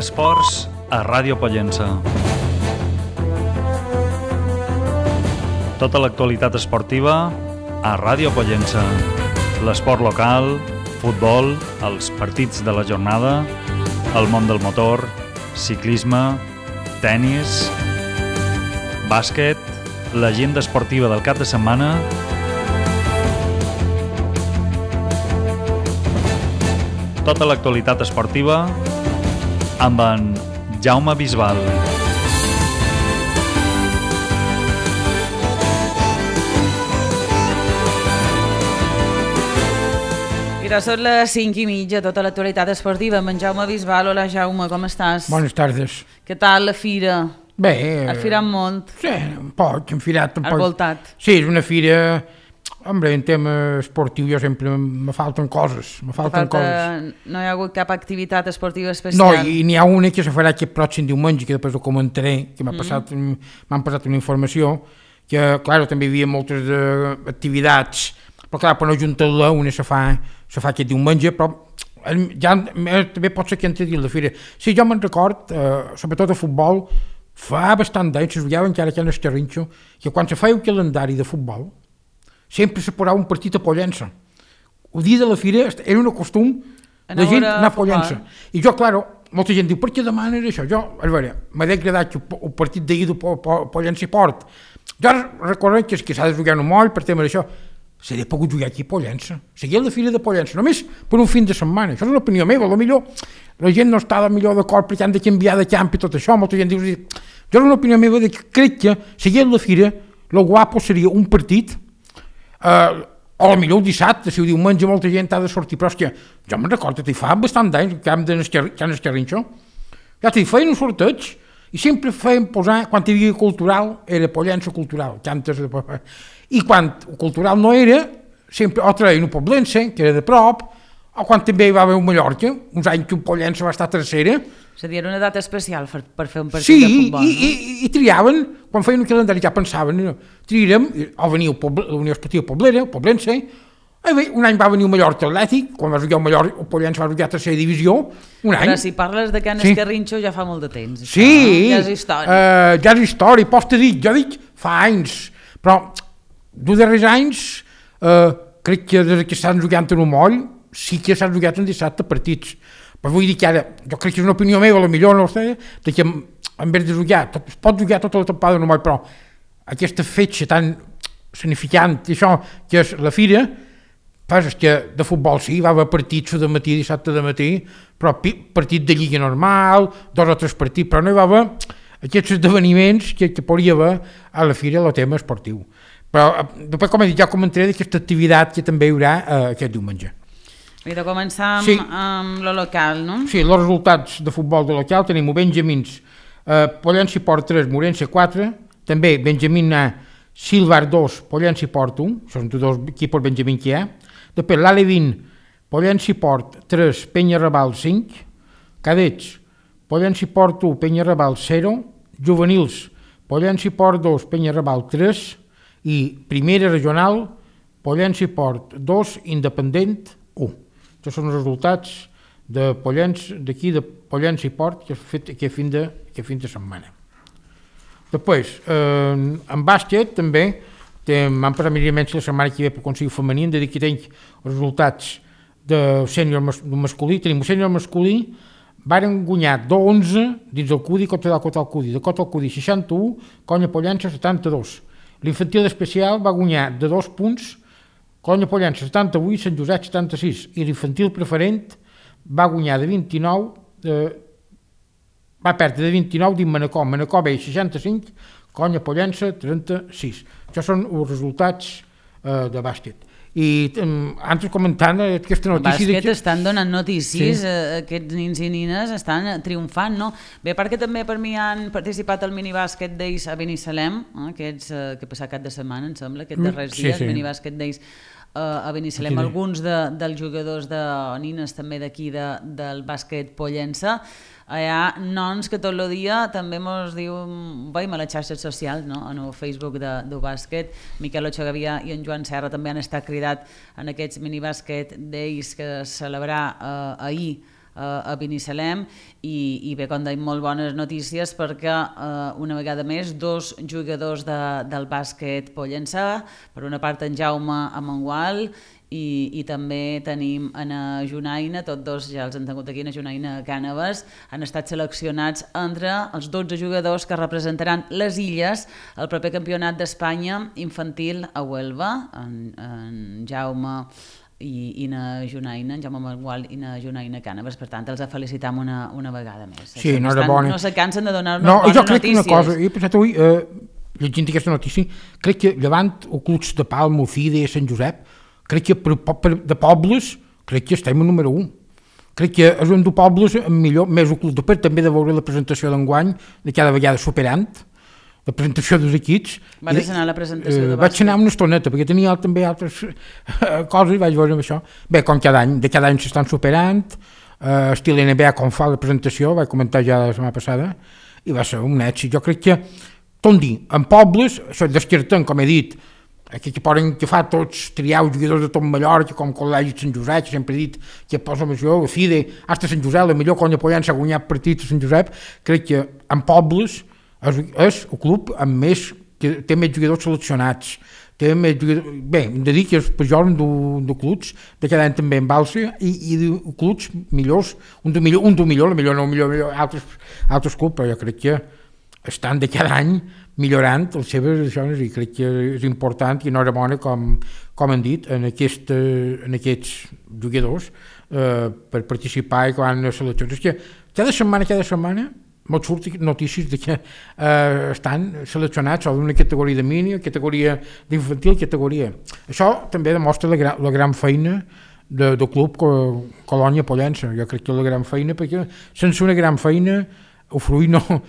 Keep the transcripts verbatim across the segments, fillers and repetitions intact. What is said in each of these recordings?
Esports a Ràdio Pollença. Tota l'actualitat esportiva a Ràdio Pollença. L'esport local, futbol, els partits de la jornada, el món del motor, ciclisme, tennis, bàsquet, l'agenda esportiva del cap de setmana, tota l'actualitat esportiva amb en Jaume Bisbal. Mira, són les cinc i mitja, tota l'actualitat esportiva amb en Jaume Bisbal. Hola Jaume, com estàs? Bones tardes. Què tal la fira? Bé... Has firat molt? Sí, un poc, hem firat un poc. Has voltat? Sí, és una fira... Hombre, en tema esportiu jo sempre me falten coses, me falten Falta... coses. No hi ha hagut cap activitat esportiva especial? No, i n'hi ha una que se farà aquest pròxim diumenge, que després ho comentaré, que m'ha Mm. passat, m'han passat una informació, que, clar, també hi havia moltes uh, activitats, però clar, per no juntar-la, una se fa, se fa aquest diumenge, però ja també pot ser que entri dins la fira. Sí, jo me'n record, uh, sobretot a futbol, fa bastant d'anys, es veiava encara que en Escarrinxo, que quan se feia el calendari de futbol, sempre se posava un partit a Pollença. El dia de la fira era un costum de gent anar a Pollença. I jo, claro, molta gent diu, per què demanes això? Jo, a veure, m'ha agradat que el partit d'ahir de Pollença i Port. Jo recordo que s'ha de jugar un moll per tema d'això. S'hauria pogut jugar aquí a Pollença. Seguir a la fira de Pollença, només per un fin de setmana. Això és una opinió meva, potser la gent no està millor d'acord perquè han de canviar de camp i tot això. Molta gent diu, jo és una opinió meva de que crec que seguir a la fira, el guapo seria un partit. Uh, o potser el dissabte, si ho diumenge molta gent ha de sortir, però és que jo me'n recordo que fa bastant d'anys que hem d'Escarrinxo, ja t'hi feien un sorteig i sempre feien posar, quan hi havia cultural era Pollença cultural, cantes de... i quan cultural no era sempre o treien un Poblense, que era de prop, o quan també hi va haver un Mallorca, uns anys que un Pollença va estar tercera. És a dir, era una data especial per, per fer un partit sí, de futbol, i, no? i, i triaven, quan feien un calendari ja pensaven, no? Triarem, o venia la Unió Esportiva Poblera, el Poblense, i bé, un any va venir el Mallorca Atlètic, quan va jugar el Mallorca, el Pollença va jugar a tercera divisió, un any. Però si parles de Can sí. Escarrinxo ja fa molt de temps, això, sí, no? Ja és història. Uh, ja és història, pots te dir, jo dic fa anys, però dos darrers anys, uh, crec que des que estan jugant en un moll, sí que s'han jugat en dissabte partits. Però vull dir que ara, jo crec que és una opinió meva, potser no ho sé, de que en vez de jugar, tot, es pot jugar tota la temporada en un moll, però aquesta fetge tan significant, això que és la fira, pues és que de futbol sí, va haver partits de matí, dissabte de matí, però partit de lliga normal, dos o tres partits, però no hi va haver aquests esdeveniments que, que podria haver a la fira el tema esportiu. Però després, com he dit, ja comentaré d'aquesta activitat que també hi haurà eh, aquest diumenge. Mira, començar amb, sí. amb lo local, no? Sí, els resultats de futbol de local tenim o Benjamins, eh, Pollença i Port tres, Morense quatre, també Benjamín A, Silvar dos, Pollença i Port un, són dos equipos Benjamín que hi ha. Després l'Alevin, Pollença i Port tres, Penyarrebal cinc, Cadets, Pollença i Port u, Penyarrebal zero, Juvenils, Pollença i Port dos, Penyarrebal tres, i Primera Regional, Pollença i Port dos, Independent u. Aquests són els resultats de Pollença, d'aquí de Pollença i Port que he fet aquest fin de, aquest fin de setmana. Després, eh, en bàsquet també m'han passat millorament la setmana que ve per aconseguir femení, hem de dir que tinc els resultats de sènior mas, masculí. Tenim el sènior masculí, varen guanyar dos onze dins del Cudi contra el Cotal Cudi, de Cotal Cudi seixanta-u, Conya Pollença setanta-dos. L'infantil especial va guanyar de dos punts, Conya Pollença setanta-vuit, Sant Josep setanta-sis, i l'infantil preferent va guanyar de vint-i-nou, eh, va perdre de vint-i-nou dins Manacor, Manacor B seixanta-cinc, Conya Pollença trenta-sis. Això són els resultats eh, de bàsquet. I eh, antes comentant aquesta notícia... El bàsquet que... estan donant notícies, sí. eh, aquests nins i nines estan triomfant, no? Bé, perquè també per mi han participat al minibàsquet Days a Binissalem, eh, aquests eh, que ha passat cap de setmana, em sembla, aquests darrers sí, dies, sí. minibàsquet Days Uh, a Binissalem, sí. Alguns de, dels jugadors de nines també d'aquí de, del bàsquet Pollença. Hi ha nons que tot el dia també mos diu, veiem a les xarxes socials, no? En el Facebook de, de bàsquet, Miquel Ochagavia i en Joan Serra també han estat cridat en aquests minibàsquet days que es celebrà uh, ahir a Binissalem i, i bé, com deim, molt bones notícies perquè uh, una vegada més dos jugadors de, del bàsquet pollençà, per una part en Jaume Amengual i, i també tenim en Junaina, tots dos ja els han tingut aquí, en Junaina Cànoves, han estat seleccionats entre els dotze jugadors que representaran les Illes al proper campionat d'Espanya infantil a Huelva, en, en Jaume i, i na Junaina, en Jaume Amengual i na Junaina Cànoves. Per tant, els felicitam una, una vegada més. Sí, no era bona. No se cansen de donar-nos no, bones jo crec notícies. Que una cosa, he pensat avui, eh, llegint aquesta notícia, crec que llevant el Clubs de Palma, Fide, Sant Josep, crec que per, per, de pobles, crec que estem a número un. Crec que és un de pobles millor, més el Club de Per, també de veure la presentació d'enguany, de cada vegada superant, la presentació dels equips. Vas anar a la presentació de bàsquet? Vaig anar una estoneta, perquè tenia també altres coses i vaig veure amb això. Bé, com cada any, de cada any s'estan superant, uh, estil N B A com fa la presentació, vaig comentar ja la setmana passada, i va ser un èxit. Jo crec que, tot dir, en pobles, això descartant, com he dit, aquí que poden que fa tots triar els jugadors de tot Mallorca, com Col·legi de Sant Josep, que sempre he dit que posa més jo, Fide, hasta Sant Josep, la millor conya Pollença ha guanyat partits a Sant Josep, crec que en pobles és, és el club amb més, que té més jugadors seleccionats, té més jugadors, bé, hem de dir que és pejor un de clubs, de cada any també en Balsa, i, i de clubs millors, un de millor, un de millor, la millor no, millor, millor altres, altres clubs, però jo crec que estan de cada any millorant les seves zones i crec que és important i enhorabona, com, com han dit, en, aquest, en aquests jugadors eh, per participar i quan les seleccions. És que cada setmana, cada setmana molt surten notícies de que eh, estan seleccionats o d'una categoria de mini, categoria d'infantil, categoria. Això també demostra la, la gran feina de, del club Colònia Pollença. Jo crec que és la gran feina, perquè sense una gran feina el fruit no...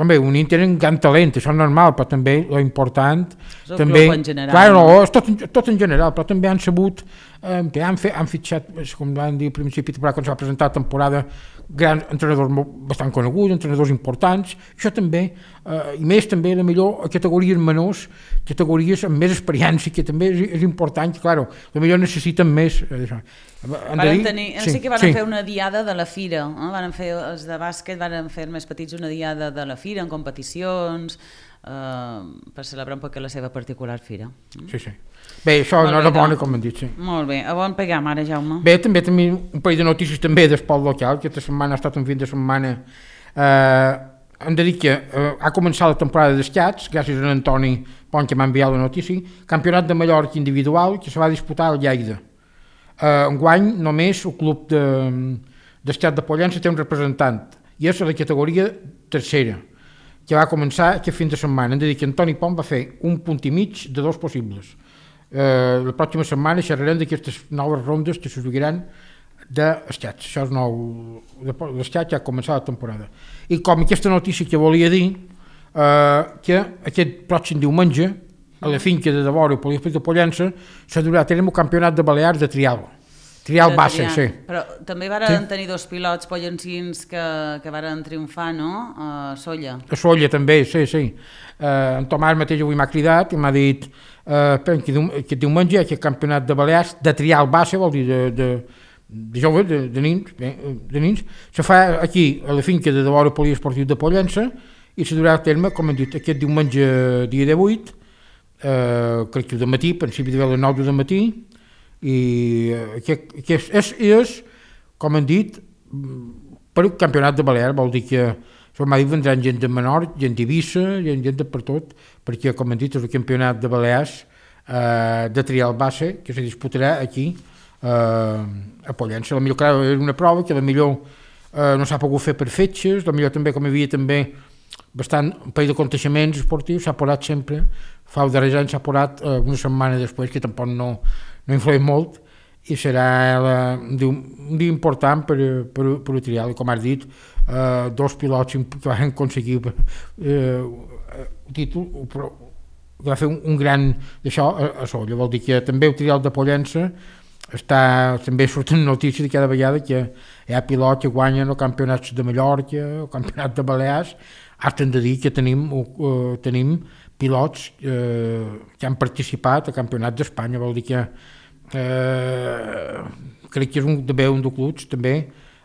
Com bé, un Inter en gran talent, això és normal, però també l'important... És el també, club en general. Clar, no, és tot, tot en general, però també han sabut, eh, han, fet, han fitxat, com van dir al principi, quan s'ha presentat la temporada, grans entrenadors bastant coneguts, entrenadors importants, això també, eh, i més també, la millor, a categories menors, categories amb més experiència, que també és, és important, que, clar, la millor necessiten més. Eh, això. Varen tenir, sí, sí que van sí. fer una diada de la fira, eh? Van fer, els de bàsquet van fer més petits una diada de la fira en competicions, eh, per celebrar un poc la seva particular fira. Sí, sí. Bé, això no era bona, com hem dit, sí. Molt bé, a on pegam ara, Jaume? Bé, també tenim un parell de notícies també d'esport local, que aquesta setmana ha estat un fin de setmana, eh, hem de dir que eh, ha començat la temporada d'escats, gràcies a Antoni Pont que m'ha enviat la notícia, campionat de Mallorca individual que se va disputar al Lleida. Uh, enguany només el club d'estat de, de Pollença té un representant i és a la categoria tercera que va començar aquest fin de setmana. Hem de dir que Antoni Pont va fer un punt i mig de dos possibles. Uh, la pròxima setmana xerrarem d'aquestes noves rondes que se jugaran d'estats. Això és nou, l'estat ja ha començat la temporada. I com aquesta notícia que volia dir, uh, que aquest pròxim diumenge a la finca de Devora i Poliesprit de Pollença s'ha durà a terme el campionat de Balears de trial. Trial base, sí. Però també varen sí? tenir dos pilots pollencins que, que varen triomfar, no? A Solla. A Solla també, sí, sí. Uh, en Tomàs mateix avui m'ha cridat i m'ha dit uh, que aquest diumenge hi ha aquest campionat de Balears de trial base, vol dir de, de, de joves, de, de nins, bé, de nins. Se fa aquí a la finca de Devora i Poliesportiu de Pollença i se durà a terme, com hem dit, aquest diumenge dia divuit, Uh, crec que de matí, a principi de les nou de matí, i uh, que, que és, és, és, com han dit, per un campionat de Balears, vol dir que m'ha dit vendran gent de Menor, gent d'Eivissa, gent, gent de per tot, perquè, com han dit, és el campionat de Balears uh, de trial base, que se disputarà aquí, uh, a Pollença. La millor, clar, és una prova que la millor uh, no s'ha pogut fer per fetges, la millor també, com hi havia també bastant un parell de aconteixements esportius, s'ha posat sempre, fa el darrer any s'ha posat eh, una setmana després, que tampoc no, no influeix molt, i serà la, un, dia, un dia important per, per, per el trial, i com has dit, eh, dos pilots que van aconseguir eh, el títol, però va fer un, un gran d'això a, a Solla, vol dir que també el trial de Pollença està, també surten notícies de cada vegada que hi ha pilots que guanyen els campionats de Mallorca, el campionat de Balears. Hasta hem de dir que tenim, uh, tenim pilots uh, que han participat al campionat d'Espanya, vol dir que uh, crec que és un, també un dels clubs també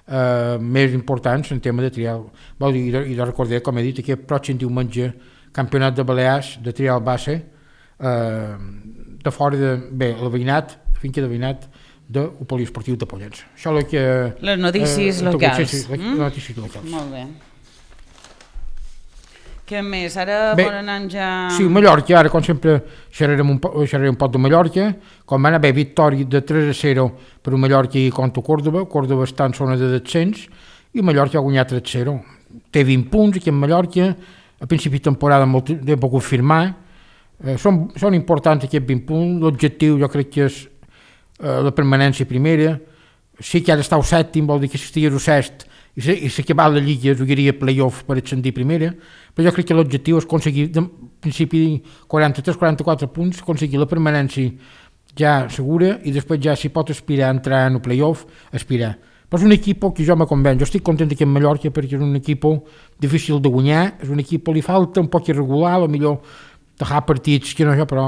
eh, més importants en tema de trial. Vol dir, i de, i de recordar, com he dit, aquest pròxim diumenge campionat de Balears de trial base eh, de fora de, bé, el veïnat, finca de veïnat del poliesportiu de Pollença. Això és el que... Les notícies eh, locals. Sí, sí, les mm? notícies locals. Molt bé. Què més? Ara bé, volen anar ja... Sí, Mallorca, ara com sempre xerrarem un, xerrarem un poc de Mallorca, com va anar bé, victòria de tres a zero per un Mallorca i contra Córdoba, Córdoba està en zona de descens i Mallorca ha guanyat tres a zero. Té vint punts aquí en Mallorca, a principi de temporada molt he pogut firmar, eh, són, són importants aquests vint punts, l'objectiu jo crec que és eh, la permanència primera, sí que ara està al sèptim, vol dir que si estigués al sest i s'acabar la lliga jugaria play-off per ascendir primera, però jo crec que l'objectiu és aconseguir, de principi quaranta-tres quaranta-quatre punts, aconseguir la permanència ja segura i després ja si pot aspirar a entrar en el play-off, aspirar. Però és un equip que jo me convenç, jo estic content aquí en Mallorca perquè és un equip difícil de guanyar, és un equip que li falta un poc irregular, o millor dejar partits que no jo, però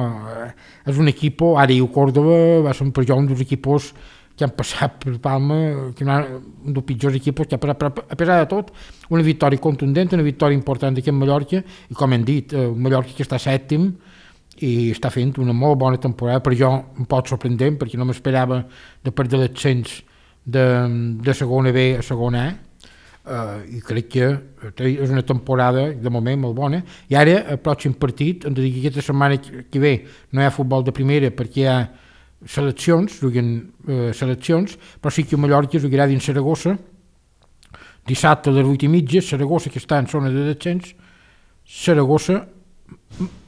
és un equip, ara i el Córdoba va ser per jo un dels equips que han passat per Palma, que no, un dels pitjors equips, que ha passat, però a pesar de tot, una victòria contundent, una victòria important aquí en Mallorca, i com hem dit, un Mallorca que està sèptim i està fent una molt bona temporada, per jo un poc sorprendent, perquè no m'esperava de perdre l'ascens de, de segona B a segona A, uh, i crec que és una temporada de moment molt bona, i ara el pròxim partit, hem de dir que aquesta setmana que ve no hi ha futbol de primera perquè hi ha seleccions, juguen eh, seleccions, però sí que a Mallorca jugarà dins Saragossa, dissabte a les vuit i mitja, Saragossa que està en zona de descens, Saragossa,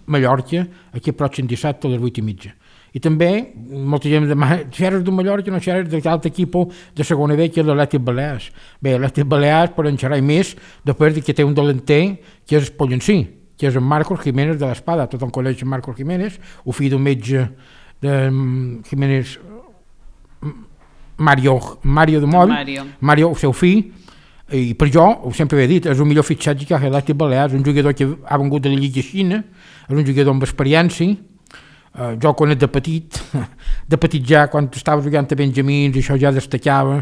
Mallorca, aquí pròxim dissabte a les vuit i mitja. I també, molta gent demana, xerres de Mallorca, no xerres de l'altre equip de segona B, que és l'Atlètic Balears. Bé, l'Atlètic Balears poden xerrar més, després de que té un delanter, que és Pollencí, que és en Marcos Jiménez de l'Espada, tot en coneix Marcos Jiménez, el fill d'un metge de Jiménez, Mario, Mario de Moll, Mario. Mario, el seu fill, i per jo, ho sempre he dit, és el millor fitxatge que ha fet l'Atlètic Balears, un jugador que ha vengut de la Lliga Xina, és un jugador amb experiència, uh, jo quan és de petit, de petit ja, quan estava jugant a Benjamins, això ja destacava,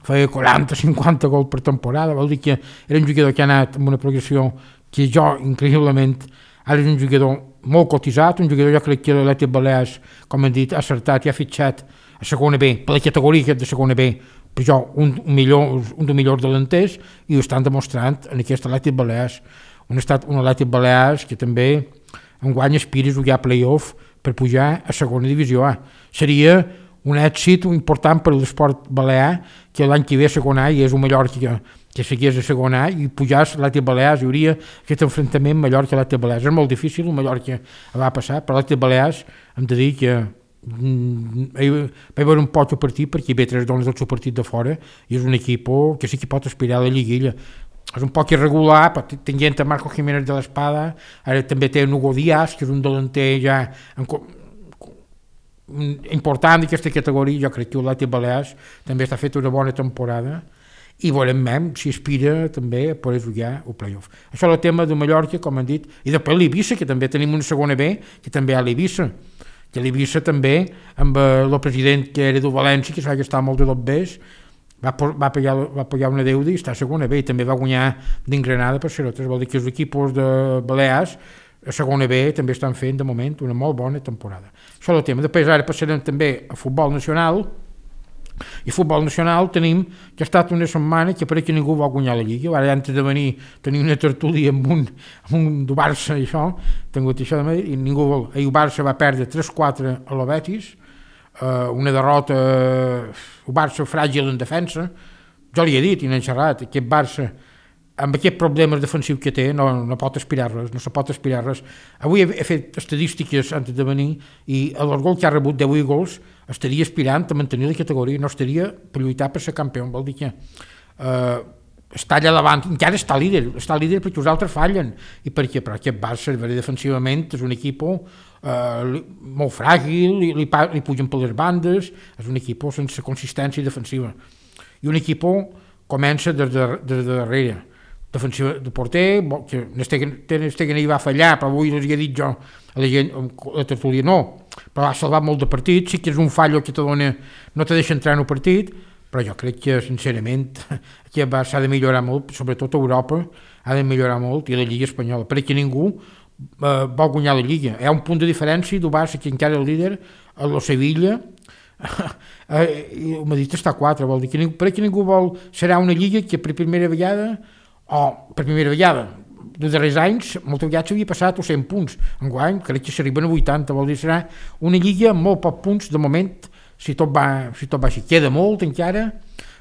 feia quaranta cinquanta gols per temporada, vol dir que era un jugador que ha anat amb una progressió que jo, increïblement, ara és un jugador molt cotitzat, un jugador jo crec que l'Atlètic Balears, com hem dit, ha acertat i ha fitxat a segona B, per la categoria de segona B, per jo un, un, millor, un dels millors delanters, i ho estan demostrant en aquest Atlètic Balears, un, estat, un Atlètic Balears que també enguany aspira a jugar play-off per pujar a segona divisió A. Seria un èxit important per l'esport balear, que l'any que ve a segona A i és un Mallorca que, que seguís a segona A i pujàs a l'Atlètic Balears, hi hauria aquest enfrontament Mallorca-Atlètic Balears. És molt difícil, el Mallorca va passar, però l'Atlètic Balears hem de dir que mm, va haver un poc de partit perquè hi ve tres dones del seu partit de fora i és un equip que sí que pot aspirar a la lliguilla. És un poc irregular, però tenint a Marco Jiménez de l'Espada, ara també té Hugo Díaz, que és un delanter ja en, important d'aquesta categoria. Jo crec que l'Atlètic Balears també està fet una bona temporada i veurem même si aspira també a poder jugar el play-off. Això és el tema de Mallorca, com han dit, i després l'Eivissa, que també tenim una segona B, que també hi ha l'Eivissa, que l'Eivissa també, amb el president que era de València, que s'ha gastat molt de dos Bs, va, va, pagar, va pagar una deuda i està a segona B, i també va guanyar d'Ingranada per Cerotes. Vol dir que els equips de Balears a segona B també estan fent de moment una molt bona temporada. Això és el tema. Després ara passarem també a futbol nacional, i a futbol nacional tenim que ha estat una setmana que pareix que ningú va guanyar la Lliga. Ara antes de venir tenia una tertúlia amb un, amb un do Barça i això, tingut això de Madrid, i ningú vol. Ahir el Barça va perdre tres quatre a la Betis, uh, una derrota, el Barça fràgil en defensa. Jo li he dit i n'he xerrat, aquest Barça amb aquests problemes defensius que té no, no pot aspirar res, no se pot aspirar res. Avui he, he fet estadístiques antes de venir i el gol que ha rebut deu gols estaria aspirant a mantenir la categoria, no estaria per lluitar per ser campió. Vol dir que eh, està allà davant, encara està líder, està líder perquè els altres fallen, i perquè però aquest Barça defensivament és un equip eh, molt fràgil, li, li, li pugen per les bandes, és un equip sense consistència defensiva, i un equip comença des de, des de darrere. Defensiva de porter, que Stegen hi va fallar, però avui els he dit jo a la gent, a la tertúlia no, però ha salvat molt de partits, sí que és un fallo que te dona, no te deixa entrar en el partit, però jo crec que, sincerament, que s'ha de millorar molt, sobretot a Europa, ha de millorar molt, i la Lliga Espanyola, perquè ningú eh, vol guanyar la Lliga. Hi ha un punt de diferència del Barça, que encara és el líder, el Sevilla, i el Madrid està a quatre, vol dir que ningú, perquè ningú vol, serà una Lliga que per primera vegada, o per primera vegada, de darrers anys, moltes vegades s'havia passat a cent punts. Enguany, crec que s'arriben a vuitanta, vol dir serà una Lliga amb molt pocs punts, de moment, si tot va, si tot va així. Queda molt encara,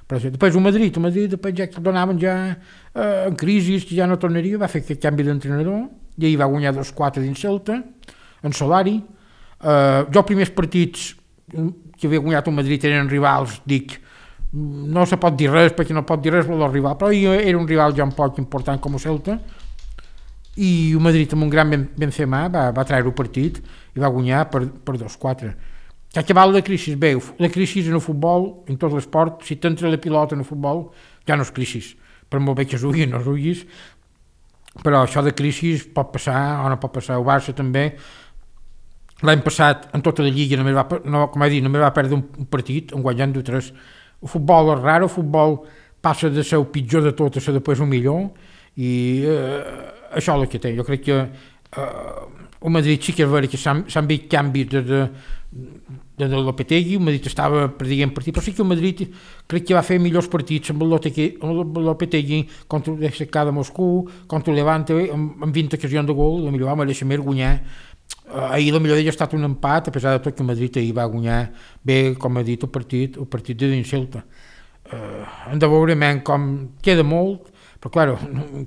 però després el Madrid, el Madrid després ja que donaven ja eh, en crisi, que ja no tornaria, va fer aquest canvi d'entrenador, i ahir va guanyar dos quatre dins Celta, en Solari. Eh, jo els primers partits que havia guanyat el Madrid eren rivals, dic, no se pot dir res, perquè no pot dir res del rival, però era un rival ja un poc important com el Celta, i el Madrid amb un gran Benzema va, va treure el partit i va guanyar per, per dos quatre. Que acabar la crisi, bé, la crisi en el futbol, en tot l'esport, si t'entra la pilota en el futbol, ja no és crisi, per molt bé que jugui, no juguis, però això de crisi pot passar o no pot passar. El Barça també, l'any passat, en tota la Lliga, només va, no, com he dit, només va perdre un partit, en guanyant de tres. El futbol és rar, el futbol passa de ser el pitjor de tot a ser després el millor, i eh, això és el que té. Jo crec que eh, el Madrid sí que és vera que s'han vist canvis de, de, de, de Lopetegui, el Madrid estava perdent partit, però sí que el Madrid crec que va fer millors partits amb el Lopetegui contra el C K de Moscou, contra el Levante, amb, amb vint ocasions de gol, la millor va mereixer més guanyar. Ahir la millor d'ell ha estat un empat, a pesar de tot que el Madrid ahir va guanyar bé, com ha dit, el partit, el partit de dins Celta. Uh, hem de veure com queda molt, però clar,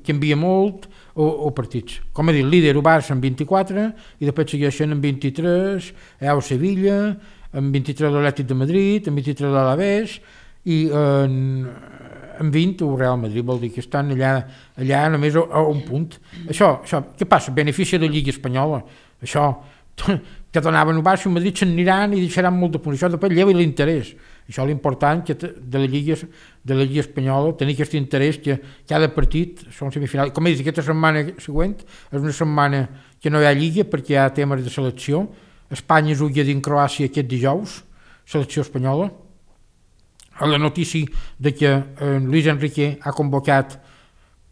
canvia molt o partits. Com he dit, líder el Barça amb vint-i-quatre, i després segueixen amb vint-i-tres, el Sevilla, amb vint-i-tres l'Atlètic de Madrid, amb vint-i-tres l'Alavés, i en, amb vint el Real Madrid, vol dir que estan allà, allà només a, a un punt. Això, això, què passa? Benefici de la Lliga Espanyola. Això, que donaven el Barça i el Madrid se'n aniran i deixaran molt de punts. Això després lleva l'interès. Això és l'important que de la Lliga, de la Lliga Espanyola, tenir aquest interès que cada partit són semifinals. Com he dit, aquesta setmana següent és una setmana que no hi ha Lliga perquè hi ha temes de selecció. Espanya juga dins Croàcia aquest dijous, selecció espanyola. A la notícia de que eh, Luis Enrique ha convocat,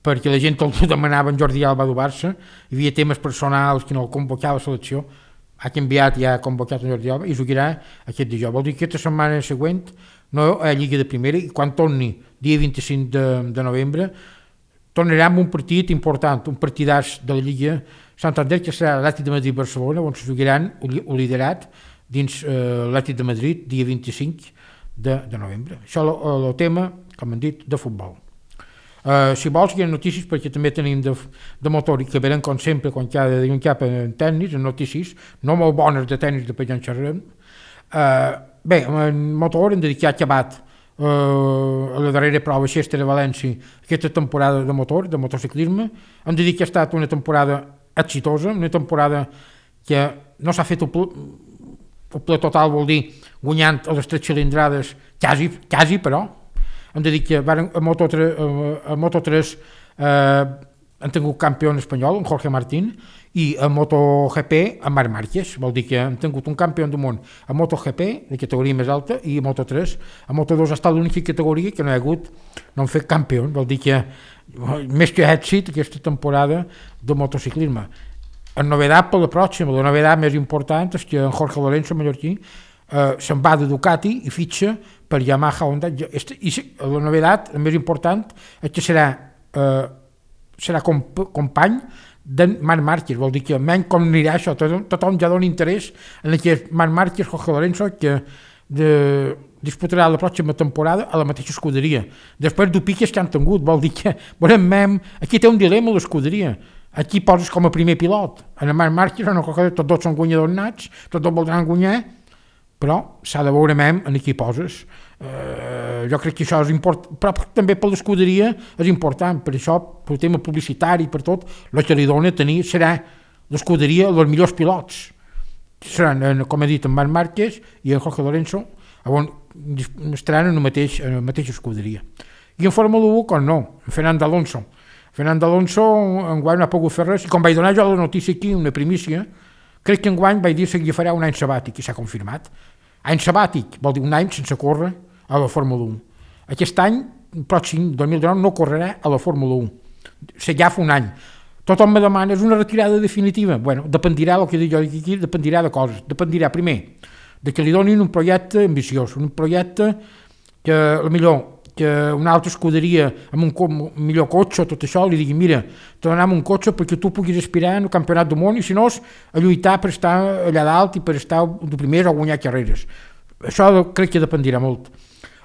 perquè la gent el demanava, en Jordi Alba del Barça, hi havia temes personals que no el convocava a la selecció, ha canviat i ha convocat en Jordi Alba i jugarà aquest dijous. Vol dir que aquesta setmana següent no hi ha Lliga de Primera, i quan torni, dia vint-i-cinc de, de novembre, tornarà amb un partit important, un partidàs de la Lliga Santander, que serà l'Atlètic de Madrid-Barcelona, on se jugaran el liderat dins eh, l'Atlètic de Madrid, dia vint-i-cinc de, de novembre. Això és el tema, com hem dit, de futbol. Uh, si vols, hi ha notícies, perquè també tenim de, de motor, i que venen, com sempre, quan cada dia un cap en tennis, en notícies, no molt bones de tennis, després ja en xerrem. Uh, bé, en motor hem de dir que ha acabat uh, a la darrera prova Xester de València aquesta temporada de motor, de motociclisme. Hem de dir que ha estat una temporada exitosa, una temporada que no s'ha fet el ple, el ple total, vol dir guanyant a les tres cilindrades, quasi, quasi però, hem de dir que a Moto tres, a Moto tres eh, han tingut campió espanyol, en Jorge Martín, i a MotoGP, en Marc Márquez, vol dir que han tingut un campió del món a MotoGP, de categoria més alta, i a Moto tres. A Moto dos ha estat l'única categoria que no hi ha hagut, no han fet campió, vol dir que més que èxit aquesta temporada de motociclisme. La novedat per la pròxima, la novedat més important és que en Jorge Lorenzo, mallorquí, Uh, se'n va de Ducati i fitxa per Yamaha Honda, i la novedat, la més important, és que serà, uh, serà comp company de Marc Márquez, vol dir que menys com anirà això, tothom, tothom ja dona interès en que Marc Márquez, Jorge Lorenzo, que de, disputarà la pròxima temporada a la mateixa escuderia. Després de piques que han tingut, vol dir que, veurem, aquí té un dilema l'escuderia. Aquí poses com a primer pilot, en Marc Márquez, no, tots dos són guanyadors nats, tots dos voldran guanyar, però s'ha de veure mem en qui poses. Uh, jo crec que això és important, però també per l'escuderia és important, per això, pel tema publicitari, per tot, el que li dona tenir serà l'escuderia els millors pilots. Seran, com he dit, en Marc Márquez i en Jorge Lorenzo, on estaran en la mateixa, en la mateixa escuderia. I en Fórmula u, com no, en Fernando Alonso. Fernando Alonso enguany no ha pogut fer res, i com vaig donar jo la notícia aquí, una primícia, crec que enguany vaig dir que farà un any sabàtic, i s'ha confirmat. Any sabàtic vol dir un any sense córrer a la Fórmula u. aquest any, pròxim, dos mil dinou, no correrà a la Fórmula un. Se ja fa un any. Tothom me demana, és una retirada definitiva? Bueno, dependirà, el que dic jo aquí, dependirà de coses. Dependirà, primer, de que li donin un projecte ambiciós, un projecte que, a millor, que una altra escuderia amb un, co- un millor cotxe, tot això, li digui, mira, te donem un cotxe perquè tu puguis aspirar al campionat del món i si no és a lluitar per estar allà dalt i per estar de primer o guanyar carreres. Això crec que dependirà molt.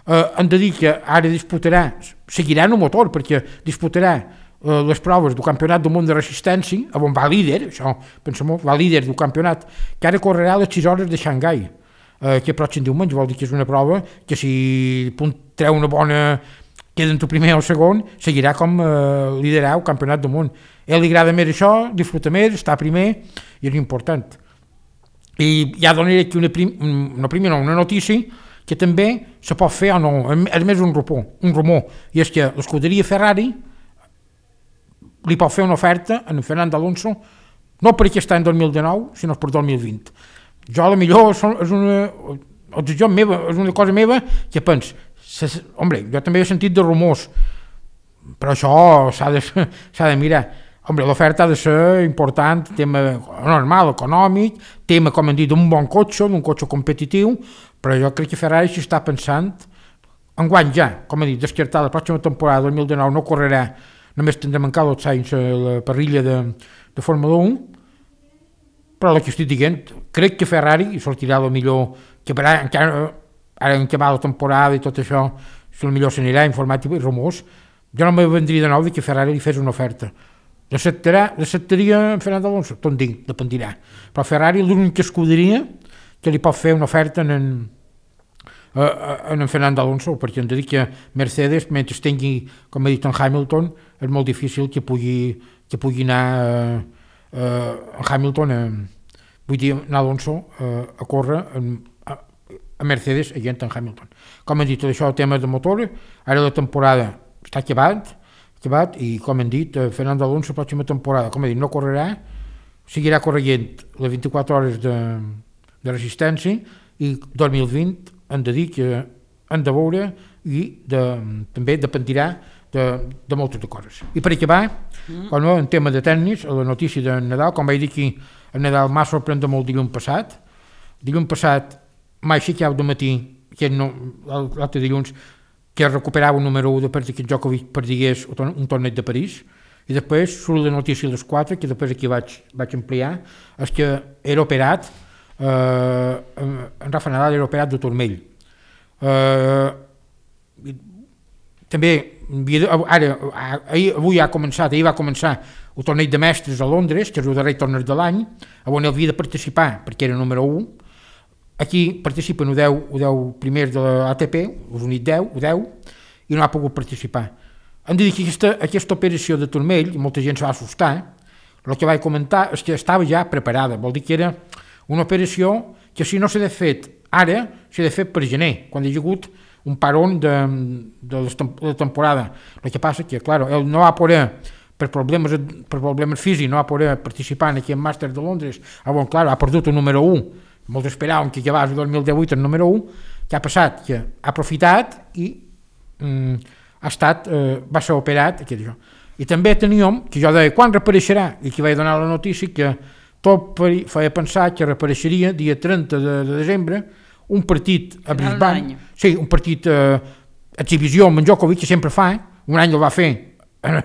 Eh, hem de dir que ara disputarà, seguirà en el motor perquè disputarà eh, les proves del campionat del món de resistència, on va líder, això, pensem, va líder del campionat, que ara correrà a les sis hores de Xangai. Eh, que pròxim diumenge, vol dir que és una prova que si treu una bona, queda entre el primer o el segon, seguirà com eh, liderar el campionat del món. A ell li agrada més això, disfruta més, està primer, i és important. I ja donaré aquí una, prim, una, primera, una notícia que també se pot fer o no, és més un rumor, un rumor, i és que l'escuderia Ferrari li pot fer una oferta a en Fernando Alonso, no per aquest any dos mil dinou, sinó per dos mil vint. Jo a la millor és una, jo meva, és una cosa meva que pens, hombre, jo també he sentit de rumors, però això s'ha de, s'ha de mirar. Hombre, l'oferta ha de ser important, tema normal, econòmic, tema, com hem dit, d'un bon cotxe, d'un cotxe competitiu, però jo crec que Ferrari s'hi està pensant, enguany ja, com he dit, descartar la pròxima temporada dos mil dinou no correrà, només tindrem encara dos anys a la parrilla de, de Fórmula un, però el que estic dient, crec que Ferrari sortirà el millor, que per ara, encara, ara en què va la temporada i tot això, si el millor s'anirà informàtic i rumors, jo no me vendria de nou que Ferrari li fes una oferta. L'acceptarà, l'acceptaria en Fernando Alonso? Tot dic, dependirà. Però Ferrari l'única escuderia que li pot fer una oferta en, en, en Fernando Alonso, perquè hem de dir que Mercedes, mentre tingui, com he dit, en Hamilton, és molt difícil que pugui, que pugui anar... Eh, Uh, en Hamilton, uh, vull dir, en Alonso uh, a córrer en, a, a Mercedes i en Hamilton. Com hem dit, això el tema de motor, ara la temporada està acabat, acabat i com hem dit, uh, Fernando Alonso la pròxima temporada, com he dit, no correrà, seguirà corrent les vint-i-quatre hores de, de resistència i dos mil vint hem de dir que hem de veure i de, també dependirà de, de moltes de coses. I per acabar, mm. com no, en tema de tècnics, a la notícia de Nadal, com vaig dir aquí, el Nadal m'ha sorprès molt dilluns passat. Dilluns passat m'ha aixecat de matí, que no, l'altre dilluns, que recuperava un número u de per que Djokovic perdigués un torneig de París, i després surt la notícia a les quatre, que després aquí vaig, vaig ampliar, és que era operat, eh, en Rafa Nadal era operat de turmell. Eh, també, ara, ahir, avui ha començat, ahir va començar el torneig de mestres a Londres, que és el darrer torneig de l'any, on havia de participar, perquè era número u. Aquí participen els deu, deu primers de l'A T P, els únics deu, deu, i no ha pogut participar. Hem de dir que aquesta, aquesta operació de turmell, i molta gent se va assustar, el que vaig comentar és que estava ja preparada, vol dir que era una operació que si no s'ha de fet ara, s'ha de fer per gener, quan hi ha hagut un paron de, de la temporada. El que passa que, clar, ell no va poder, per problemes, per problemes físics, no va poder participar en aquest màster de Londres, on, clar, ha perdut el número u. Molts esperaven que acabés el dos mil divuit el número u, que ha passat, que ha aprofitat i mm, ha estat, eh, va ser operat. Que això. I també teníem, que jo deia, quan reapareixerà? I que vaig donar la notícia que tot feia pensar que reapareixeria dia trenta de, de desembre, un partit a Brisbane, sí, un partit eh, exhibició amb en Djokovic, que sempre fa, un any el va fer amb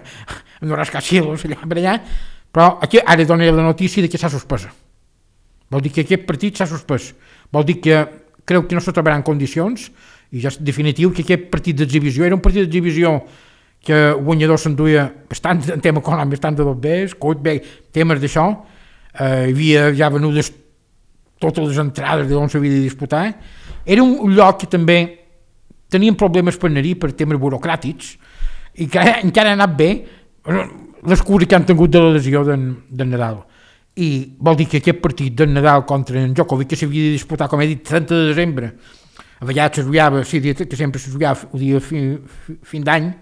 els rascacielos allà per allà, però aquí ara donaré la notícia de que s'ha suspès. Vol dir que aquest partit s'ha suspès. Vol dir que creu que no se trobarà en condicions, i ja és definitiu que aquest partit d'exhibició era un partit d'exhibició que el guanyador s'enduia bastant en tema econòmic, bastant de dos bés, coit bé, temes d'això, eh, hi havia ja venudes totes les entrades d'on s'havia de disputar. Era un lloc que també tenien problemes per anar-hi per temes burocràtics i que encara ha anat bé les cures que han tingut de la lesió d'en, d'en Nadal. I vol dir que aquest partit d'en Nadal contra en Djokovic, que s'havia de disputar, com he dit, trenta de desembre, a vegades se jugava, sí, que sempre se jugava el dia fin, fin d'any,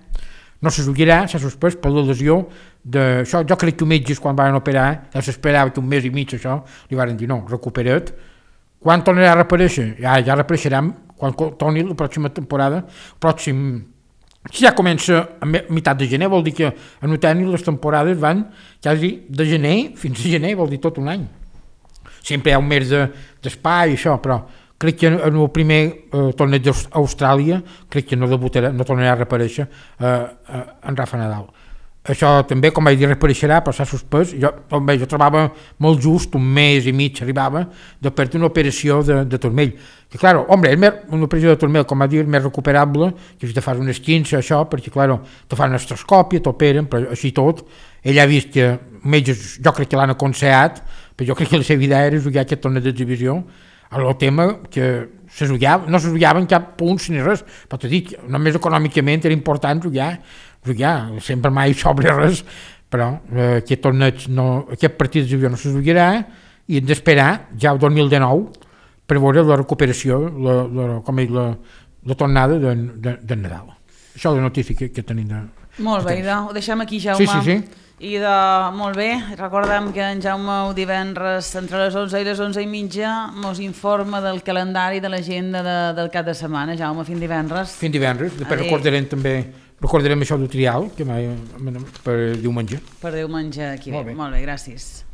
no se jugarà, s'ha suspès per la lesió d'això. Jo crec que els metges quan van operar, ja s'esperava que un mes i mig això, li van dir no, recupera't. Quan tornarà a reaparèixer? Ja, ja reapareixerà quan torni la pròxima temporada, pròxim... Si ja comença a meitat de gener, vol dir que a Noteni les temporades van quasi de gener fins a gener, vol dir tot un any. Sempre hi ha un mes d'espai i això, però crec que en el primer eh, torneig d'Austràlia crec que no debutarà, no tornarà a reaparèixer eh, eh, en Rafa Nadal. Això també, com vaig dir, reapareixerà, però s'ha suspès. Jo, bé, jo trobava molt just, un mes i mig arribava, de perdre una operació de, de turmell. Que, clar, home, és més, una operació de turmell, com va dir, més recuperable, que si te fas unes quinze, això, perquè, clar, te fan una estroscòpia, t'operen, però així tot, ell ha vist que metges, jo crec que l'han aconsellat, però jo crec que la seva idea era jugar aquest torneig d'exhibició, el tema que se jugava, no se jugava en cap punt ni res, però t'he dit, només econòmicament era important jugar, jugar, sempre mai sobre res, però eh, aquest torneig, no, aquest partit d'exhibició no se jugarà i hem d'esperar ja el dos mil dinou per veure la recuperació, la, la, com és la, la tornada de, de, de Nadal. Això és la notícia que, que tenim de... Molt bé, idò, ho deixem aquí, Jaume. Sí, sí, sí. I de, molt bé, recordem que en Jaume el divendres entre les onze i les onze i mitja mos informa del calendari de l'agenda de, del cap de setmana. Jaume, fins divendres. Fins divendres, després recordarem també recordarem això del trial que mai, per diumenge. Per diumenge aquí. Molt bé, molt bé, gràcies.